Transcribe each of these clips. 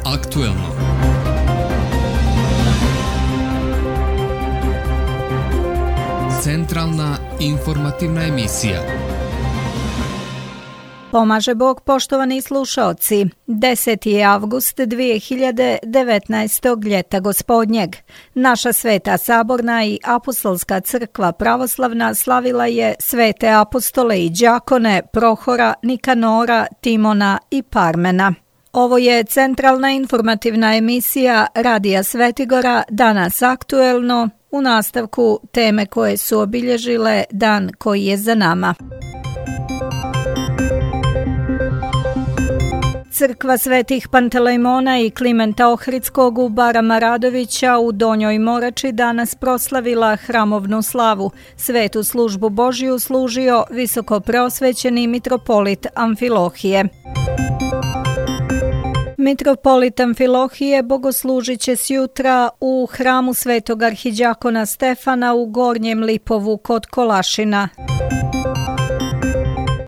aktuelno. Centralna informativna emisija. Pomaže Bog, poštovani slušaoci. 10. je avgust 2019. ljeta gospodnjeg. Naša Sveta Saborna i Apostolska crkva pravoslavna slavila je svete apostole i đakone Prohora, Nikanora, Timona i Parmena. Ovo je centralna informativna emisija Radija Svetigora, danas aktuelno, u nastavku teme koje su obilježile dan koji je za nama. Crkva svetih Pantelejmona i Klimenta Ohridskog u Barama Radovića u Donjoj Morači danas proslavila hramovnu slavu. Svetu službu Božju služio visoko preosvećeni mitropolit Amfilohije. Mitropolit Amfilohije bogoslužit će sjutra u hramu svetog arhidjakona Stefana u Gornjem Lipovu kod Kolašina.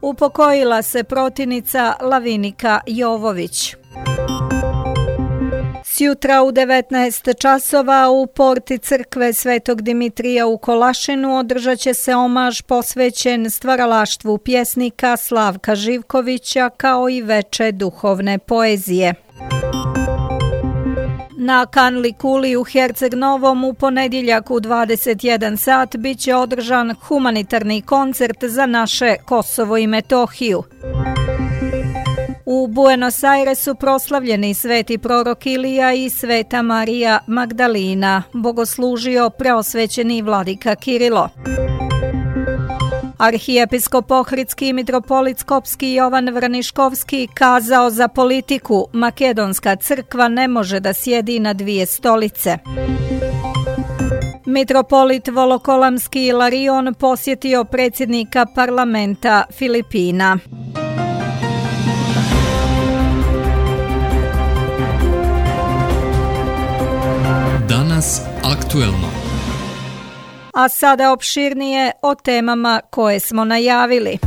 Upokojila se protivnica Lavinika Jovović. Sjutra u 19 časova u porti crkve Svetog Dimitrija u Kolašinu održat će se omaž posvećen stvaralaštvu pjesnika Slavka Živkovića kao i veče duhovne poezije. Na Kanli Kuli u Herceg Novom u ponedjeljak u 21 sat bit će održan humanitarni koncert za naše Kosovo i Metohiju. U Buenos Airesu proslavljeni sveti prorok Ilija i sveta Marija Magdalina, bogoslužio preosvećeni vladika Kirilo. Arhijepiskop Ohridski i mitropolit Skopski Jovan Vrniškovski kazao za politiku: Makedonska crkva ne može da sjedi na dvije stolice. Mitropolit Volokolamski Ilarion posjetio predsjednika parlamenta Filipina. Danas aktuelno. A sada opširnije o temama koje smo najavili.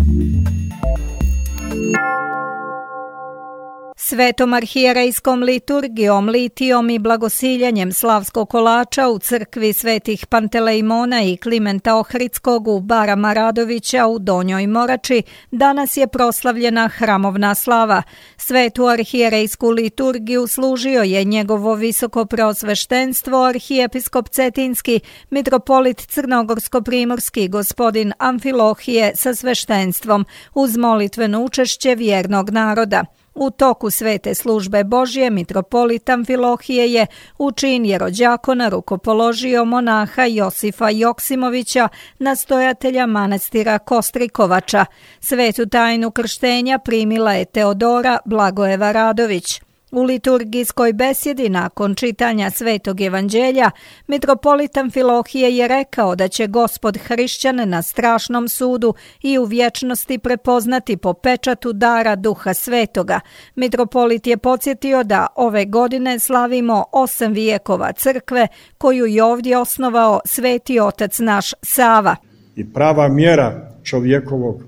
Svetom arhijerejskom liturgijom, litijom i blagosiljanjem slavskog kolača u crkvi svetih Pantelejmona i Klimenta Ohridskog u Barama Radovića u Donjoj Morači danas je proslavljena hramovna slava. Svetu arhijerejsku liturgiju služio je njegovo visoko preosveštenstvo arhijepiskop Cetinski, mitropolit Crnogorsko-primorski gospodin Amfilohije sa sveštenstvom uz molitveno učešće vjernog naroda. U toku svete službe Božje mitropolit Amfilohije je u čin jerođakona rukopoložio monaha Josifa Joksimovića, nastojatelja manastira Kostrikovača. Svetu tajnu krštenja primila je Teodora Blagojeva Radović. U liturgijskoj besjedi nakon čitanja Svetog evanđelja, mitropolit Amfilohije je rekao da će Gospod hrišćane na strašnom sudu i u vječnosti prepoznati po pečatu dara Duha Svetoga. Mitropolit je podsjetio da ove godine slavimo 8 vijekova crkve koju je ovdje osnovao sveti otac naš Sava. I prava mjera čovjekovog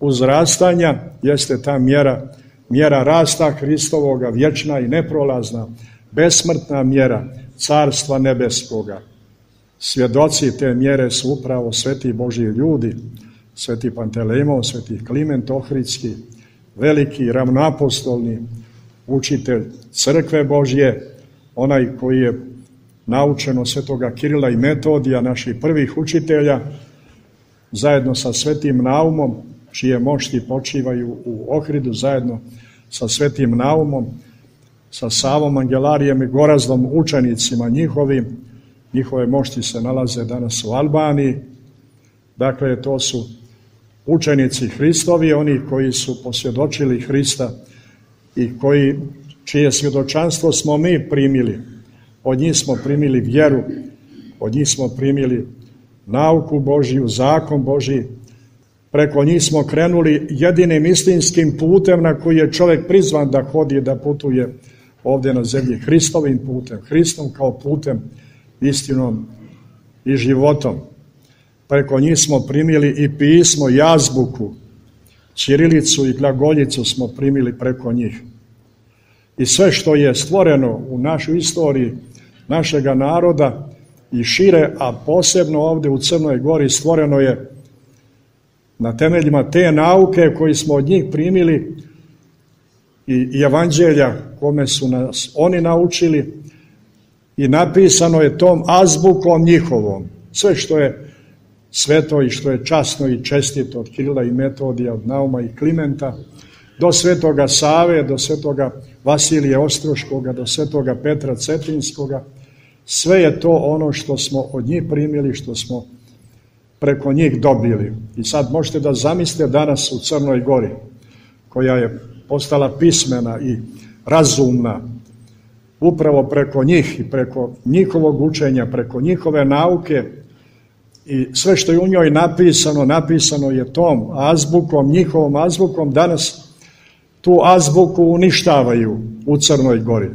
uzrastanja jeste ta mjera rasta Hristovoga, vječna i neprolazna, besmrtna mjera Carstva nebeskoga. Svjedoci te mjere su upravo sveti Božji ljudi, sveti Pantelejmon, sveti Kliment Ohridski, veliki ravnoapostolni učitelj crkve Božje, onaj koji je naučen od svetoga Kirila i Metodija, naših prvih učitelja, zajedno sa svetim Naumom, čije mošti počivaju u Ohridu, zajedno sa svetim Naumom, sa Savom Angelarijem i Gorazdom, učenicima njihovim. Njihove mošti se nalaze danas u Albaniji. Dakle, to su učenici Hristovi, oni koji su posvjedočili Hrista i čije svjedočanstvo smo mi primili. Od njih smo primili vjeru, od njih smo primili nauku Božju, zakon Božji. Preko njih smo krenuli jedinim istinskim putem na koji je čovjek prizvan da hodi, da putuje ovdje na zemlji, Hristovim putem, Hristom kao putem, istinom i životom. Preko njih smo primili i pismo i azbuku, ćirilicu i glagoljicu smo primili preko njih. i sve što je stvoreno u našoj istoriji našega naroda i šire, a posebno ovdje u Crnoj Gori stvoreno je na temeljima te nauke koji smo od njih primili i evanđelja kome su nas oni naučili, i napisano je tom azbukom njihovom. Sve što je sveto i što je časno i čestito, od Kirila i Metodija, od Nauma i Klimenta, do svetoga Save, do svetoga Vasilija Ostroškoga, do svetoga Petra Cetinskoga, sve je to ono što smo od njih primili, što smo preko njih dobili. I sad možete da zamislite danas u Crnoj Gori, koja je postala pismena i razumna, upravo preko njih i preko njihovog učenja, preko njihove nauke, i sve što je u njoj napisano je tom azbukom, njihovom azbukom. Danas tu azbuku uništavaju u Crnoj Gori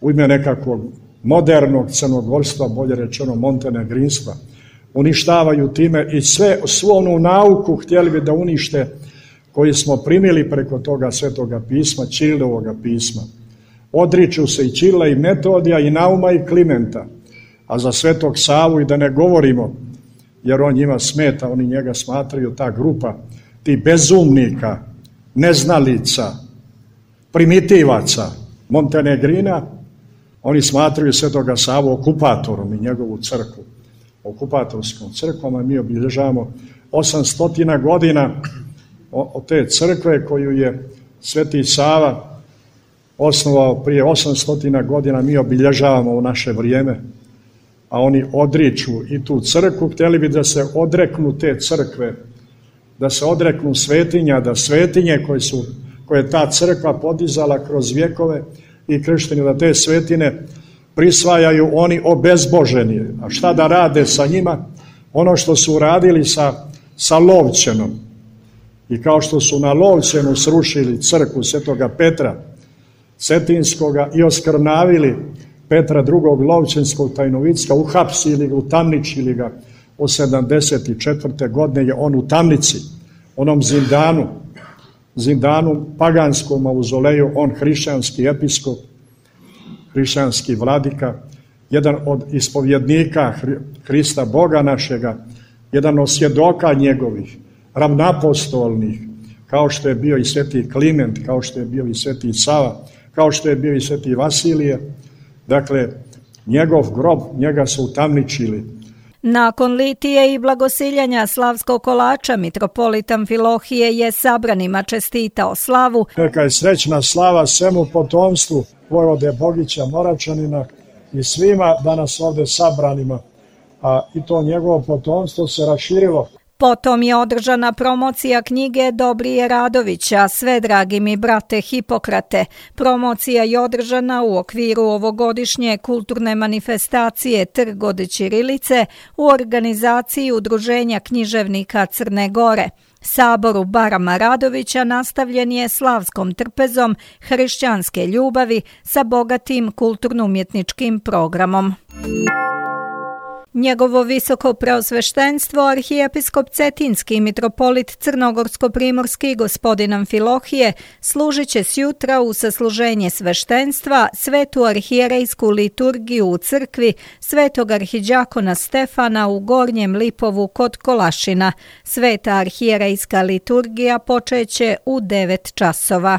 u ime nekakvog modernog crnogorstva, bolje rečeno montenegrinstva. Uništavaju time i svu onu nauku htjeli bi da unište koju smo primili preko toga svetoga pisma, Ćirilovoga pisma. Odriču se i Ćirila i Metodija i Nauma i Klimenta, a za svetog Savu i da ne govorimo, jer on njima smeta, oni njega smatraju, ta grupa, ti bezumnika, neznalica, primitivaca, Montenegrina, oni smatraju svetoga Savu okupatorom i njegovu crkvu, okupatorskom crkvom, a mi obilježavamo 800 godina od te crkve koju je sveti Sava osnovao prije 800 godina, mi obilježavamo u naše vrijeme, a oni odriču i tu crkvu. Htjeli bi da se odreknu te crkve, da se odreknu svetinja, da svetinje koje je ta crkva podizala kroz vjekove i kršteni, da te svetine prisvajaju oni obezboženi. A šta da rade sa njima? Ono što su uradili sa Lovćenom. I kao što su na Lovćenu srušili crkvu svetoga Petra Cetinskoga i oskrnavili Petra II. Lovćenskog Tajnovicka, uhapsili ga, utamničili ga od 74. godine je on u tamnici, onom zindanu paganskom mauzoleju, on hrišćanski episkop, hrišćanski vladika, jedan od ispovjednika Hrista Boga našega, jedan od svjedoka njegovih, ravnapostolnih, kao što je bio i sveti Kliment, kao što je bio i sveti Sava, kao što je bio i sveti Vasilije. Dakle, njegov grob, njega su utamničili. Nakon litije i blagosiljanja slavskog kolača, mitropolit Amfilohije je sabranima čestitao slavu. Neka je srećna slava svemu potomstvu vojvode Bogića Moračanina i svima danas ovdje sabranima, a i to njegovo potomstvo se raširilo. Potom je održana promocija knjige Dobrije Radovića, Sve dragi mi brate Hipokrate. Promocija je održana u okviru ovogodišnje kulturne manifestacije Trg od ćirilice u organizaciji Udruženja književnika Crne Gore. Saboru Barama Radovića nastavljen je slavskom trpezom hrišćanske ljubavi sa bogatim kulturno-umjetničkim programom. Njegovo visoko preosveštenstvo, arhijepiskop Cetinski mitropolit Crnogorsko-primorski gospodin Amfilohije, služit će sjutra u sasluženje sveštenstva svetu arhijerejsku liturgiju u crkvi svetog arhidjakona Stefana u Gornjem Lipovu kod Kolašina. Sveta arhijerejska liturgija počeće u 9 časova.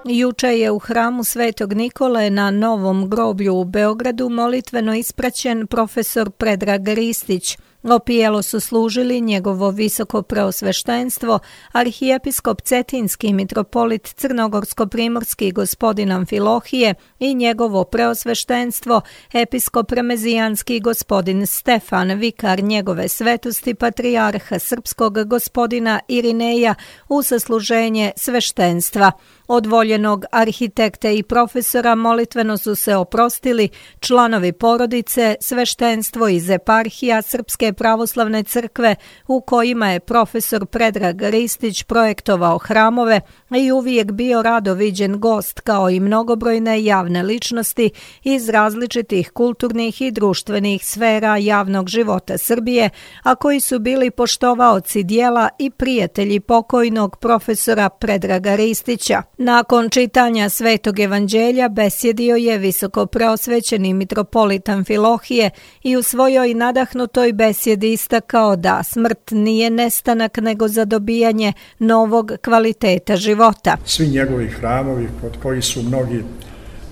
Juče je u hramu Svetog Nikole na Novom groblju u Beogradu molitveno ispraćen profesor Predrag Ristić. Opijelo su služili njegovo visoko preosveštenstvo, arhijepiskop Cetinski mitropolit Crnogorsko-primorski gospodin Amfilohije i njegovo preosveštenstvo, episkop Remezijanski gospodin Stefan, vikar njegove svetosti patrijarha srpskog gospodina Irineja u sasluženje sveštenstva. Od voljenog arhitekte i profesora molitveno su se oprostili članovi porodice, sveštenstvo iz eparhija Srpske pravoslavne crkve u kojima je profesor Predrag Ristić projektovao hramove i uvijek bio rado viđen gost, kao i mnogobrojne javne ličnosti iz različitih kulturnih i društvenih sfera javnog života Srbije, a koji su bili poštovaoci dijela i prijatelji pokojnog profesora Predraga Ristića. Nakon čitanja Svetog evanđelja besjedio je visokopreosvećeni mitropolit Amfilohije i u svojoj nadahnutoj besjedi istakao da smrt nije nestanak nego zadobijanje novog kvaliteta života. Svi njegovi hramovi, kod koji su mnogi,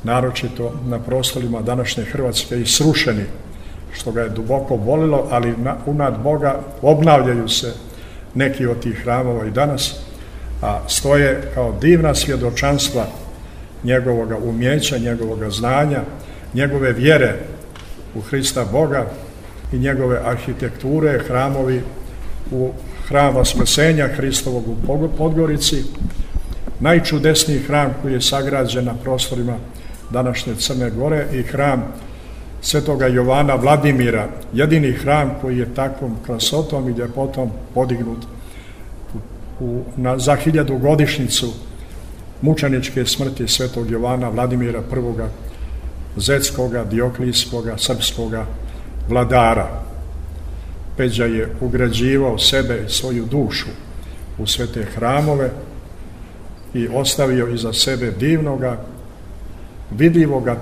naročito na prostorima današnje Hrvatske, i srušeni, što ga je duboko bolilo, ali unad Boga obnavljaju se neki od tih hramova i danas, a stoje kao divna svjedočanstva njegovoga umjeća, njegovoga znanja, njegove vjere u Hrista Boga i njegove arhitekture, hramovi u hram Vaskrsenja Hristovog u Podgorici, najčudesniji hram koji je sagrađen na prostorima današnje Crne Gore, i hram Svetoga Jovana Vladimira, jedini hram koji je takvom krasotom i ljepotom podignut za 1000. godišnjicu mučeničke smrti Svetog Jovana Vladimira I. Zetskoga, Dioklijskoga, srpskoga vladara. Peđa je ugrađivao sebe i svoju dušu u sve te hramove i ostavio iza sebe divnoga, vidljivoga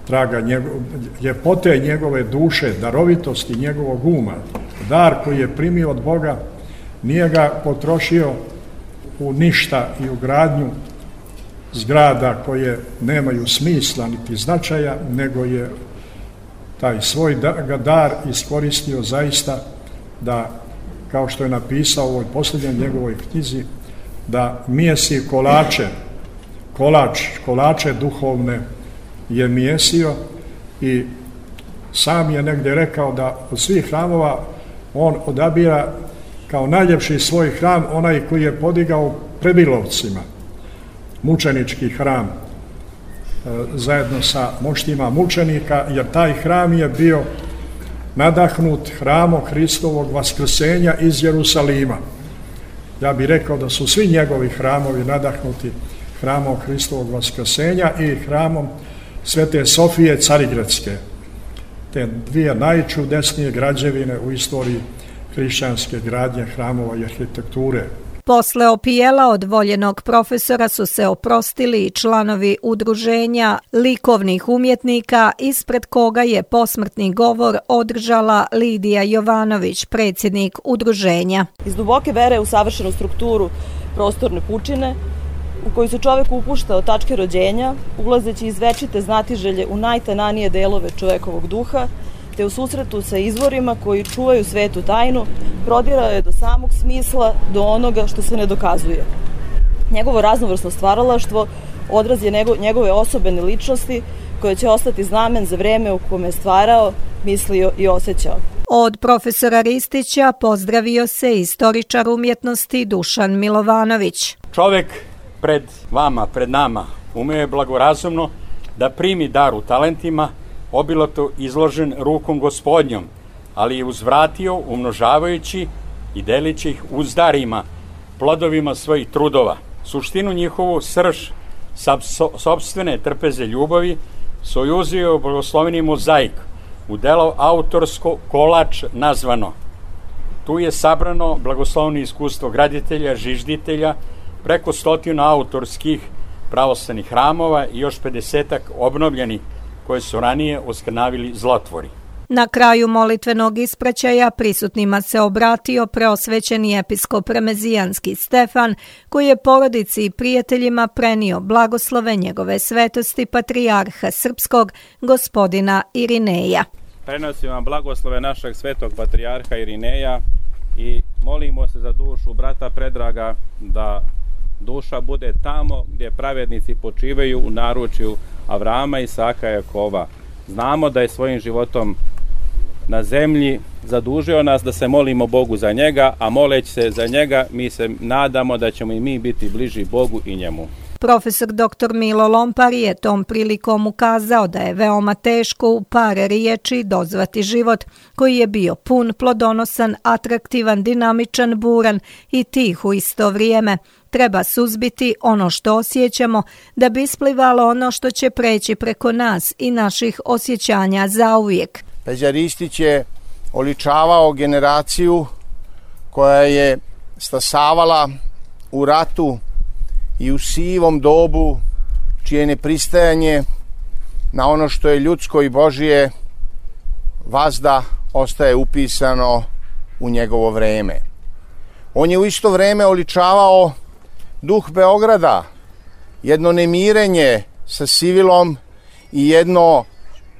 traga ljepote njegove duše, darovitosti njegovog uma. Dar koji je primio od Boga nije ga potrošio u ništa i u gradnju zgrada koje nemaju smisla niti značaja, nego je taj svoj dar iskoristio zaista da, kao što je napisao u ovoj posljednjoj njegovoj knjizi, da mijesi kolače duhovne je mijesio, i sam je negdje rekao da od svih hramova on odabira kao najljepši svoj hram onaj koji je podigao Prebilovcima, mučenički hram, zajedno sa moštima mučenika, jer taj hram je bio nadahnut hramom Hristovog Vaskrsenja iz Jerusalima. Ja bih rekao da su svi njegovi hramovi nadahnuti hramom Hristovog Vaskrsenja i hramom Svete Sofije Carigradske, te dvije najčudesnije građevine u istoriji hrišćanske gradnje, hramova i arhitekture. Posle opijela od voljenog profesora su se oprostili i članovi udruženja likovnih umjetnika, ispred koga je posmrtni govor održala Lidija Jovanović, predsjednik udruženja. Iz duboke vere u savršenu strukturu prostorne pučine, u koju se čovek upušta od tačke rođenja, ulazeći iz večite znatiželje u najtananije delove čovekovog duha, te u susretu sa izvorima koji čuvaju svetu tajnu, prodirao je do samog smisla, do onoga što se ne dokazuje. Njegovo raznovrsno stvaralaštvo odraz je njegove osobene ličnosti, koje će ostati znamen za vreme u kome je stvarao, mislio i osjećao. Od profesora Ristića pozdravio se istoričar umjetnosti Dušan Milovanović. Čovek pred vama, pred nama, umeo je blagorazumno da primi dar u talentima, obilato izložen rukom Gospodnjom, ali je uzvratio umnožavajući i delići ih uzdarima, plodovima svojih trudova. Suštinu njihovu srž sopstvene trpeze ljubavi sojuzio blagosloveni mozaik u delo autorsko kolač nazvano. Tu je sabrano blagosloveno iskustvo graditelja, žižditelja, preko 100 autorskih pravoslavnih hramova i još 50 obnovljenih koje su ranije oskrnavili zlotvori. Na kraju molitvenog ispraćaja prisutnima se obratio preosvećeni episkop Remezijanski Stefan, koji je porodici i prijateljima prenio blagoslove njegove svetosti patrijarha srpskog, gospodina Irineja. Prenosim vam blagoslove našeg svetog patrijarha Irineja i molimo se za dušu brata Predraga, da duša bude tamo gdje pravednici počivaju u naručju Avrama, Isaka i Jakova. Znamo da je svojim životom na zemlji zadužio nas da se molimo Bogu za njega, a moleći se za njega mi se nadamo da ćemo i mi biti bliži Bogu i njemu. Profesor dr. Milo Lompar je tom prilikom ukazao da je veoma teško u par riječi dozvati život koji je bio pun, plodonosan, atraktivan, dinamičan, buran i tih u isto vrijeme. Treba suzbiti ono što osjećamo da bi isplivalo ono što će preći preko nas i naših osjećanja zauvijek. Peđa Ristić je oličavao generaciju koja je stasavala u ratu i u sivom dobu čije nepristajanje na ono što je ljudsko i Božije vazda ostaje upisano u njegovo vreme. On je u isto vreme oličavao duh Beograda, jedno nemirenje sa sivilom i jedno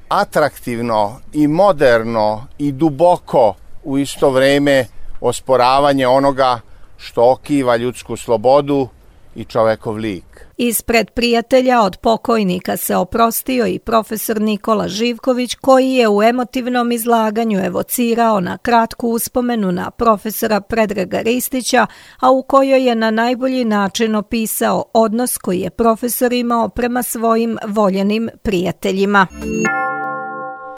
atraktivno i moderno i duboko u isto vreme osporavanje onoga što okiva ljudsku slobodu i čovekov lik. Ispred prijatelja od pokojnika se oprostio i profesor Nikola Živković, koji je u emotivnom izlaganju evocirao na kratku uspomenu na profesora Predraga Ristića, a u kojoj je na najbolji način opisao odnos koji je profesor imao prema svojim voljenim prijateljima.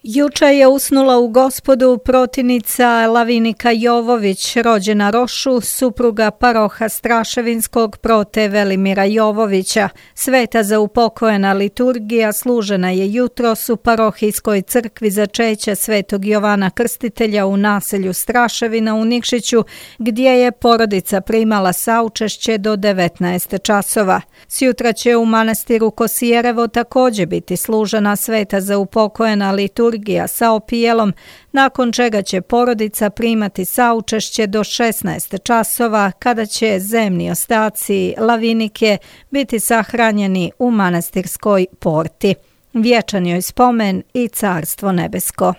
Juče je usnula u Gospodu protivnica Lavinika Jovović, rođena Rošu, supruga paroha Straševinskog prote Velimira Jovovića. Sveta za upokojena liturgija služena je jutros u parohijskoj crkvi začeća Svetog Jovana Krstitelja u naselju Straševina u Nikšiću, gdje je porodica primala saučešće do 19 časova. Sjutra će u manastiru Kosijerevo također biti služena sveta za upokojena liturgija sa opijelom, nakon čega će porodica primati saučešće do 16 časova, kada će zemni ostaci Lavinike biti sahranjeni u manastirskoj porti. Vječan joj spomen i Carstvo nebesko.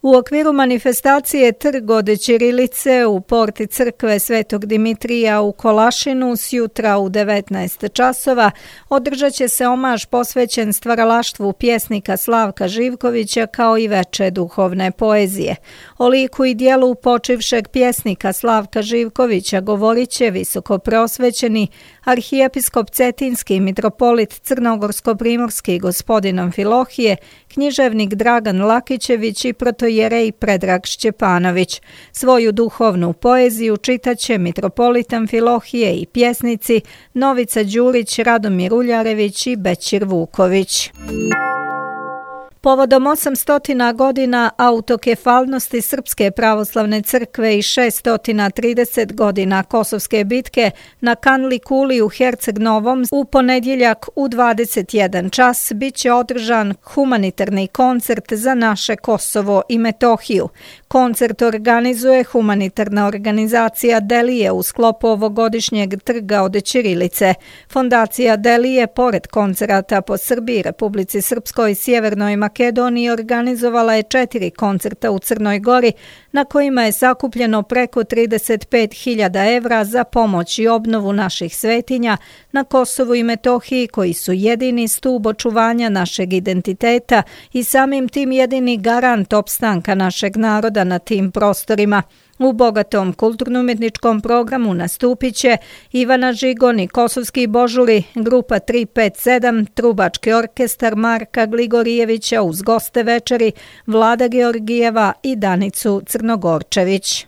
U okviru manifestacije Trg od ćirilice u porti crkve Svetog Dimitrija u Kolašinu sjutra u 19 časova održat će se omaž posvećen stvaralaštvu pjesnika Slavka Živkovića kao i veče duhovne poezije. O liku i dijelu počivšeg pjesnika Slavka Živkovića govorit će visoko preosvećeni arhijepiskop Cetinski mitropolit Crnogorsko-primorski gospodin Amfilohije, književnik Dragan Lakićević i protojerej Predrag Šćepanović. Svoju duhovnu poeziju čitaće mitropolit Amfilohije i pjesnici Novica Đurić, Radomir Uljarević i Bećir Vuković. Povodom 800 godina autokefalnosti Srpske pravoslavne crkve i 630 godina Kosovske bitke na Kanli Kuli u Herceg Novom u ponedjeljak u 21 čas bit će održan humanitarni koncert za naše Kosovo i Metohiju. Koncert organizuje humanitarna organizacija Delije u sklopu ovogodišnjeg Trga od ćirilice. Fondacija Delije, pored koncerata po Srbiji, Republici Srpskoj i Sjevernoj Makedoniji, organizovala je 4 koncerta u Crnoj Gori, na kojima je sakupljeno preko 35.000 evra za pomoć i obnovu naših svetinja na Kosovu i Metohiji, koji su jedini stub očuvanja našeg identiteta i samim tim jedini garant opstanka našeg naroda na tim prostorima. U bogatom kulturno-umjetničkom programu nastupit će Ivana Žigon i Kosovski božuri, grupa 357, trubački orkestar Marka Gligorijevića uz goste večeri, Vlada Georgijeva i Danicu Crnogorčević.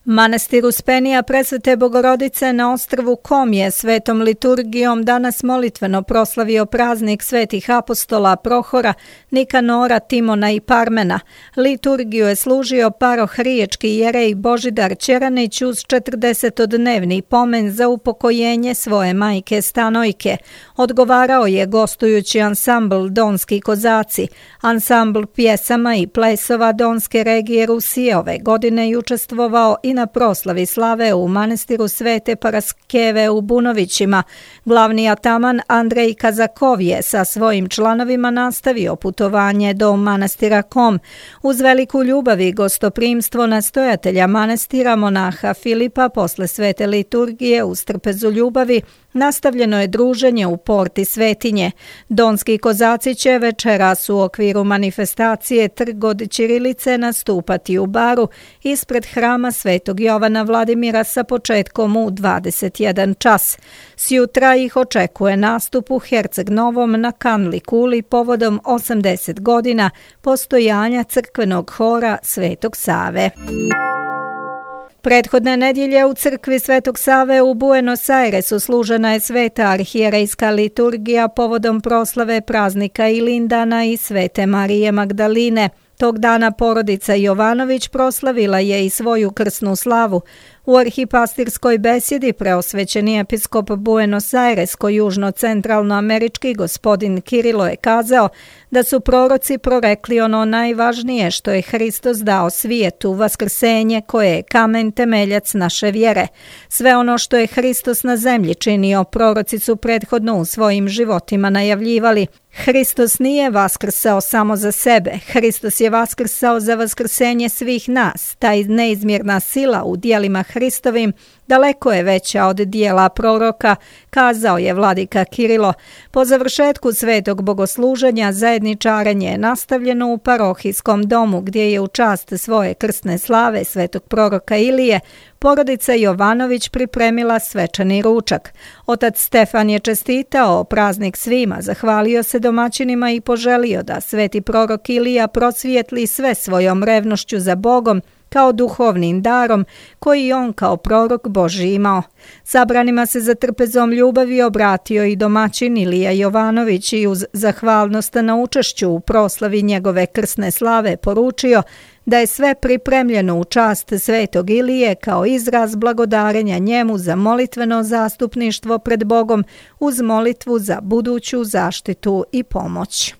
Manastir Uspenija Presvete Bogorodice na ostrvu Kom je svetom liturgijom danas molitveno proslavio praznik svetih apostola Prohora, Nikanora, Timona i Parmena. Liturgiju je služio paroh riječki jerej Božidar Ćeranić uz 40-dnevni pomen za upokojenje svoje majke Stanojke. Odgovarao je gostujući ansambl Donski kozaci. Ansambl pjesama i plesova Donske regije Rusije ove godine je učestvovao i na proslavi slave u manastiru Svete Paraskeve u Bunovićima. Glavni ataman Andrej Kazakov je sa svojim članovima nastavio putovanje do manastira Kom. Uz veliku ljubav i gostoprimstvo nastojatelja manastira monaha Filipa posle svete liturgije uz trpezu ljubavi nastavljeno je druženje u porti svetinje. Donski kozaci će večeras u okviru manifestacije Trg od ćirilice nastupati u baru ispred hrama Svetog Jovana Vladimira sa početkom u 21 čas. Sjutra ih očekuje nastup u Herceg Novom na Kanli Kuli povodom 80 godina postojanja crkvenog hora Svetog Save. Prethodne nedjelje u crkvi Svetog Save u Buenos Airesu služena je sveta arhijerejska liturgija povodom proslave praznika Ilindana i Svete Marije Magdaline. Tog dana porodica Jovanović proslavila je i svoju krsnu slavu. U arhipastirskoj besjedi preosvećeni episkop Buenos Airesko južno-centralnoamerički gospodin Kirilo je kazao da su proroci prorekli ono najvažnije što je Hristos dao svijetu, vaskrsenje koje je kamen temeljac naše vjere. Sve ono što je Hristos na zemlji činio, proroci su prethodno u svojim životima najavljivali. Hristos nije vaskrsao samo za sebe, Hristos je vaskrsao za vaskrsenje svih nas. Taj neizmjerna sila u dijelima Hristovim daleko je veća od dijela proroka, kazao je vladika Kirilo. Po završetku svetog bogosluženja zajedničarenje je nastavljeno u parohijskom domu gdje je u čast svoje krsne slave svetog proroka Ilije porodica Jovanović pripremila svečani ručak. Otac Stefan je čestitao praznik svima, zahvalio se domaćinima i poželio da sveti prorok Ilija prosvijetli sve svojom revnošću za Bogom kao duhovnim darom koji on kao prorok Božji imao. Sabranima se za trpezom ljubavi obratio i domaćin Ilija Jovanović i uz zahvalnost na učešću u proslavi njegove krsne slave poručio da je sve pripremljeno u čast svetog Ilije kao izraz blagodarenja njemu za molitveno zastupništvo pred Bogom uz molitvu za buduću zaštitu i pomoć.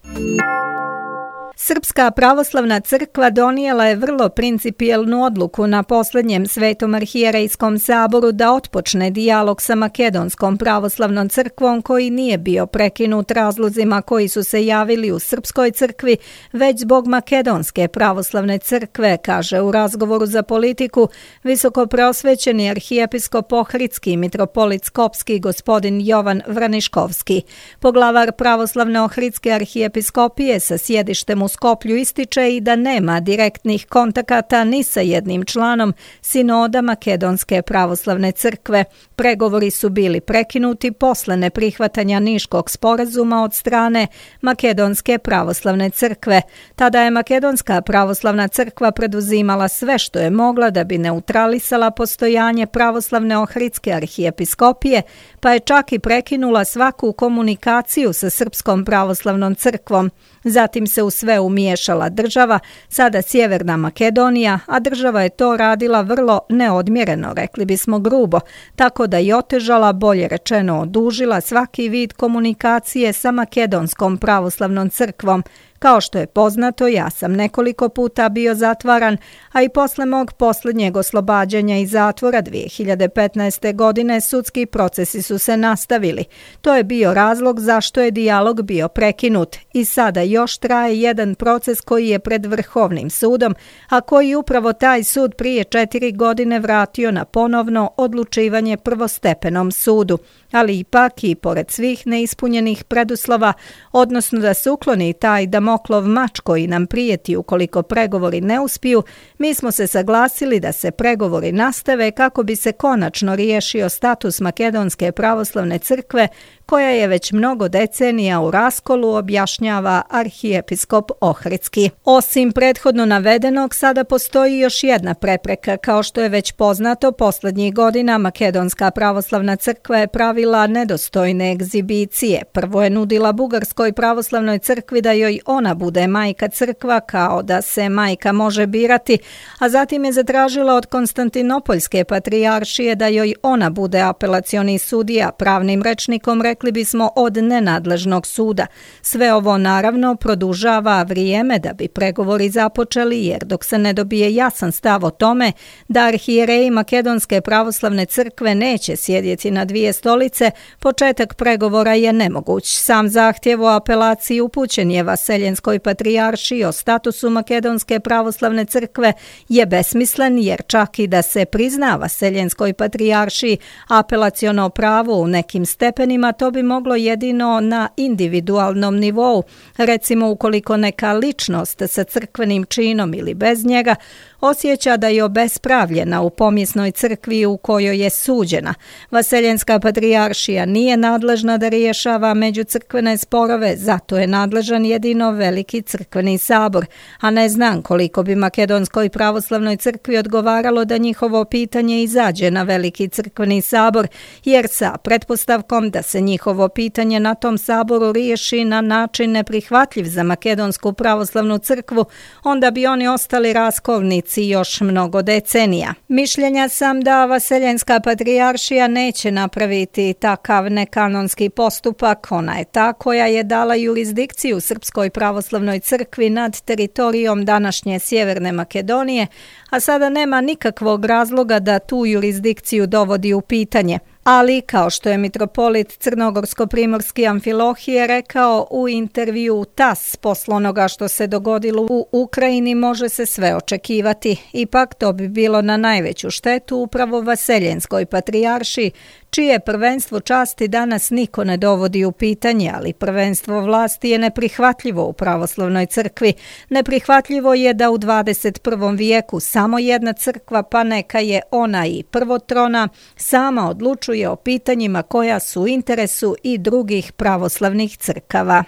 Srpska pravoslavna crkva donijela je vrlo principijelnu odluku na posljednjem Svetom arhijerejskom saboru da otpočne dijalog sa Makedonskom pravoslavnom crkvom koji nije bio prekinut razlozima koji su se javili u Srpskoj crkvi, već zbog Makedonske pravoslavne crkve, kaže u razgovoru za Politiku visoko preosvećeni arhijepiskop Ohridski mitropolit Skopski gospodin Jovan Vraniškovski. Poglavar pravoslavne Ohridske arhijepiskopije sa sjedištem u Skoplju ističe i da nema direktnih kontakata ni sa jednim članom sinoda Makedonske pravoslavne crkve. Pregovori su bili prekinuti posle neprihvatanja Niškog sporazuma od strane Makedonske pravoslavne crkve. Tada je Makedonska pravoslavna crkva preduzimala sve što je mogla da bi neutralisala postojanje pravoslavne Ohridske arhijepiskopije, pa je čak i prekinula svaku komunikaciju sa Srpskom pravoslavnom crkvom. Zatim se u sve umiješala država, sada Sjeverna Makedonija, a država je to radila vrlo neodmjereno, rekli bismo grubo, tako da je otežala, bolje rečeno odužila svaki vid komunikacije sa Makedonskom pravoslavnom crkvom. Kao što je poznato, ja sam nekoliko puta bio zatvaran, a i posle mog posljednjeg oslobađanja iz zatvora 2015. godine sudski procesi su se nastavili. To je bio razlog zašto je dijalog bio prekinut i sada još traje jedan proces koji je pred Vrhovnim sudom, a koji upravo taj sud prije 4 godine vratio na ponovno odlučivanje prvostepenom sudu. Ali ipak i pored svih neispunjenih preduslova, odnosno da se ukloni taj Damoklov mač koji nam prijeti ukoliko pregovori ne uspiju, mi smo se saglasili da se pregovori nastave kako bi se konačno riješio status Makedonske pravoslavne crkve koja je već mnogo decenija u raskolu, objašnjava arhijepiskop Ohridski. Osim prethodno navedenog, sada postoji još jedna prepreka. Kao što je već poznato, posljednjih godina Makedonska pravoslavna crkva je pravila nedostojne egzibicije. Prvo je nudila Bugarskoj pravoslavnoj crkvi da joj ona bude majka crkva, kao da se majka može birati, a zatim je zatražila od Konstantinopoljske patrijaršije da joj ona bude apelacioni sudija, pravnim rečnikom rekli bismo od nenadležnog suda. Sve ovo naravno produžava vrijeme da bi pregovori započeli, jer dok se ne dobije jasan stav o tome da arhijereji Makedonske pravoslavne crkve neće sjedjeti na dvije stolice, početak pregovora je nemoguć. Sam zahtjev o apelaciji upućen je Vaseljenskoj patrijaršiji o statusu Makedonske pravoslavne crkve je besmislen, jer čak i da se prizna Vaseljenskoj patrijaršiji apelaciono pravo u nekim stepenima, to bi moglo jedino na individualnom nivou, recimo ukoliko neka ličnost sa crkvenim činom ili bez njega osjeća da je obespravljena u pomjesnoj crkvi u kojoj je suđena. Vaseljenska patrijaršija nije nadležna da rješava međucrkvene sporove, zato je nadležan jedino Veliki crkveni sabor, a ne znam koliko bi Makedonskoj pravoslavnoj crkvi odgovaralo da njihovo pitanje izađe na Veliki crkveni sabor, jer sa pretpostavkom da se njihovo pitanje na tom saboru riješi na način neprihvatljiv za Makedonsku pravoslavnu crkvu, onda bi oni ostali raskolnici još mnogo decenija. Mišljenja sam da Vaseljenska patrijaršija neće napraviti takav nekanonski postupak. Ona je ta koja je dala jurisdikciju Srpskoj pravoslavnoj crkvi nad teritorijom današnje Sjeverne Makedonije, a sada nema nikakvog razloga da tu jurisdikciju dovodi u pitanje. Ali, kao što je mitropolit crnogorsko-primorski Amfilohije rekao u intervju TAS, posle onoga što se dogodilo u Ukrajini može se sve očekivati. Ipak to bi bilo na najveću štetu upravo Vaseljenskoj patrijaršiji, čije prvenstvo časti danas niko ne dovodi u pitanje, ali prvenstvo vlasti je neprihvatljivo u pravoslavnoj crkvi. Neprihvatljivo je da u 21. vijeku samo jedna crkva, pa neka je ona i prvotrona, sama odlučuje o pitanjima koja su u interesu i drugih pravoslavnih crkava.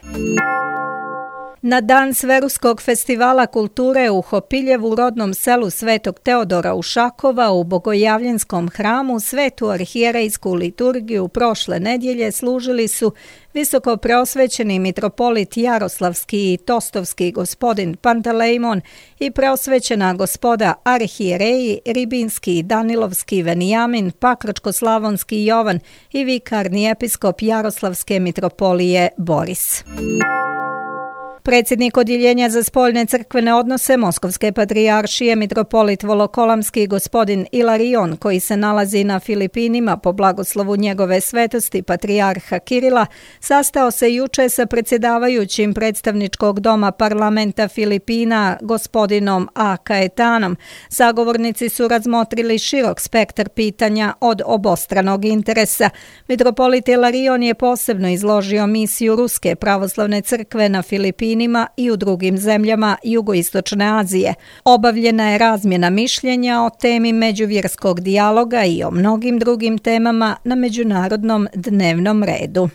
Na dan Sveruskog festivala kulture u Hopiljevu, rodnom selu Svetog Teodora Ušakova, u Bogojavljenskom hramu svetu arhijerejsku liturgiju prošle nedjelje služili su visoko preosvećeni mitropolit Jaroslavski i Tostovski gospodin Pantelejmon i preosvećena gospoda arhijereji Ribinski i Danilovski Venijamin, Pakračko-slavonski Jovan i vikarni episkop Jaroslavske mitropolije Boris. Predsjednik Odjeljenja za spoljne crkvene odnose Moskovske patrijaršije mitropolit Volokolamski gospodin Ilarion, koji se nalazi na Filipinima po blagoslovu njegove svetosti patrijarha Kirila, sastao se juče sa predsjedavajućim predstavničkog doma parlamenta Filipina gospodinom A. Kaetanom. Sagovornici su razmotrili širok spektar pitanja od obostranog interesa. Mitropolit Ilarion je posebno izložio misiju Ruske pravoslavne crkve na Filipinima i u drugim zemljama jugoistočne Azije. Obavljena je razmjena mišljenja o temi međuvjerskog dijaloga i o mnogim drugim temama na međunarodnom dnevnom redu.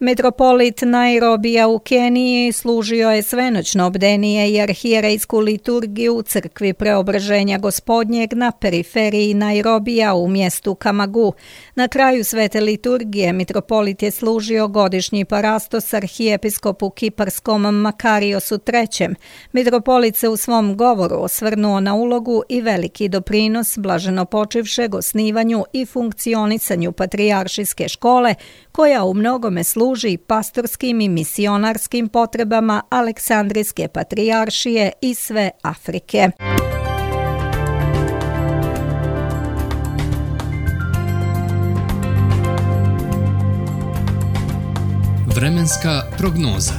Metropolit Nairobija u Keniji služio je svenoćno bdenije i arhijerejsku liturgiju u crkvi Preobraženja Gospodnjeg na periferiji Nairobija u mjestu Kamagu. Na kraju svete liturgije mitropolit je služio godišnji parastos arhijepiskopu kiparskom Makariosu III. Mitropolit se u svom govoru osvrnuo na ulogu i veliki doprinos blaženopočivšeg osnivanju i funkcionisanju patrijaršijske škole, koja u mnogome služi pastorskim i misionarskim potrebama Aleksandrijske patrijaršije i sve Afrike. Vremenska prognoza.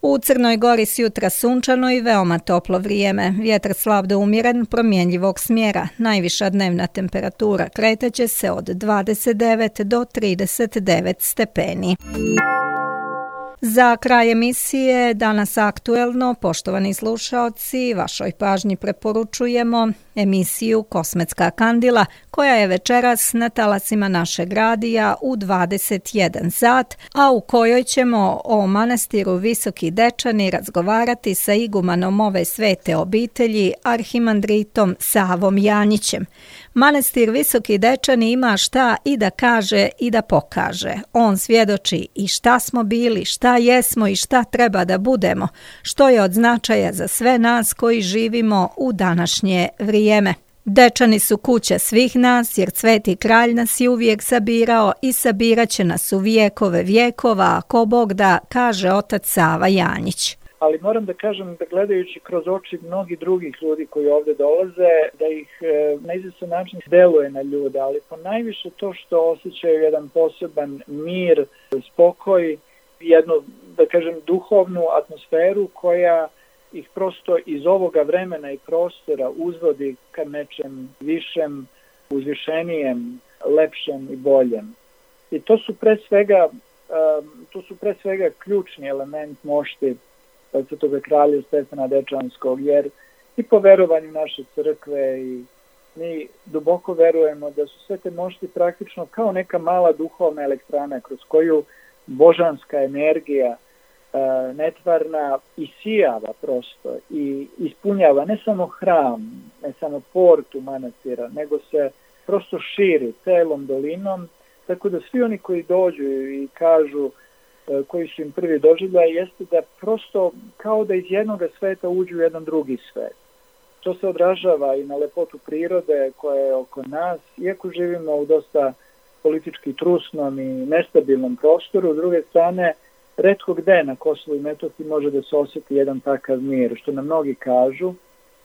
U Crnoj Gori s jutra sunčano i veoma toplo vrijeme. Vjetar slab do umjeren, promjenjivog smjera. Najviša dnevna temperatura kretaće se od 29 do 39 stepeni. Za kraj emisije Danas aktuelno, poštovani slušaoci, vašoj pažnji preporučujemo emisiju Kosmetska kandila, koja je večeras na talasima našeg radija u 21 sat, a u kojoj ćemo o manastiru Visoki Dečani razgovarati sa igumanom ove svete obitelji, arhimandritom Savom Janjićem. Manastir Visoki Dečani ima šta i da kaže i da pokaže. On svjedoči i šta smo bili, šta jesmo i šta treba da budemo, što je od značaja za sve nas koji živimo u današnje vrijeme. Dečani su kuća svih nas, jer Sveti Kralj nas je uvijek sabirao i sabirat će nas u vijekove vijekova, ako Bog da, kaže otac Sava Janjić. Ali moram da kažem da gledajući kroz oči mnogih drugih ljudi koji ovdje dolaze, da ih na izvestan način deluje na ljude, ali ponajviše to što osjećaju jedan poseban mir, spokoj, jednu, da kažem, duhovnu atmosferu koja ih prosto iz ovoga vremena i prostora uzvodi ka nečem višem, uzvišenijem, lepšem i boljem. I to su pre svega ključni element mošti Svetoga kralja Stefana Dečanskog, jer i po verovanju naše crkve i mi duboko verujemo da su sve te mošti praktično kao neka mala duhovna elektrana kroz koju božanska energija netvarna isijava prosto i ispunjava ne samo hram, ne samo portu manastira, nego se prosto širi celom dolinom, tako da svi oni koji dođu i kažu, koji su im prvi doživljaj, jeste da prosto kao da iz jednog sveta uđu u jedan drugi svet. To se odražava i na lepotu prirode koja je oko nas, iako živimo u dosta politički trusnom i nestabilnom prostoru. S druge strane, retko gde na Kosovu i Metohiji može da se osjeti jedan takav mir, što nam mnogi kažu.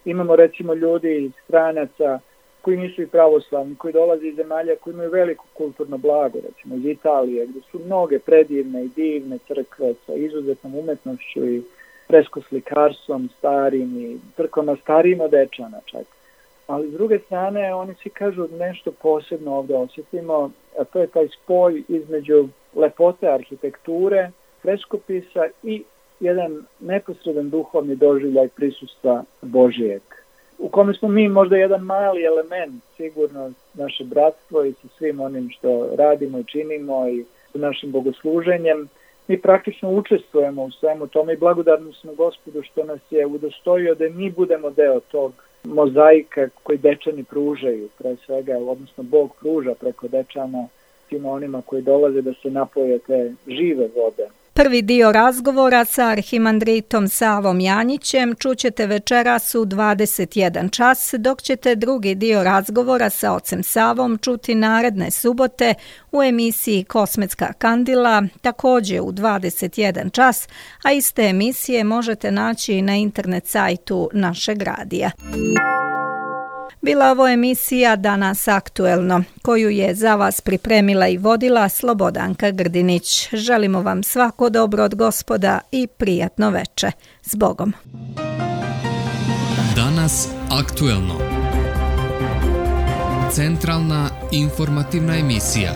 Imamo recimo ljudi iz stranaca koji nisu i pravoslavni, koji dolaze iz zemalja koji imaju veliko kulturno blago, recimo iz Italije, gde su mnoge predivne i divne crkve sa izuzetnom umetnošću i freskoslikarstvom starim i crkvama starijim od Dečana čak. Ali s druge strane, oni svi kažu nešto posebno ovde osjetimo, a to je taj spoj između lepote arhitekture, freskopisa i jedan neposredan duhovni doživljaj prisustva Božijeg, u kome smo mi možda jedan mali element, sigurno naše bratstvo i sa svim onim što radimo i činimo i sa našim bogosluženjem, mi praktično učestvujemo u svemu tome i blagodarni smo Gospodu što nas je udostojio da mi budemo deo tog mozaika koji Dečani pružaju, pre svega, odnosno Bog pruža preko Dečana svima onima koji dolaze da se napoje te žive vode. Prvi dio razgovora sa arhimandritom Savom Janjićem čućete večeras u 21 čas, dok ćete drugi dio razgovora sa ocem Savom čuti naredne subote u emisiji Kosmetska kandila, također u 21 čas, a iste emisije možete naći na internet sajtu našeg radija. Bila ovo emisija Danas aktuelno, koju je za vas pripremila i vodila Slobodanka Grdinić. Želimo vam svako dobro od Gospoda i prijatno veče. S Bogom. Danas aktuelno. Centralna informativna emisija.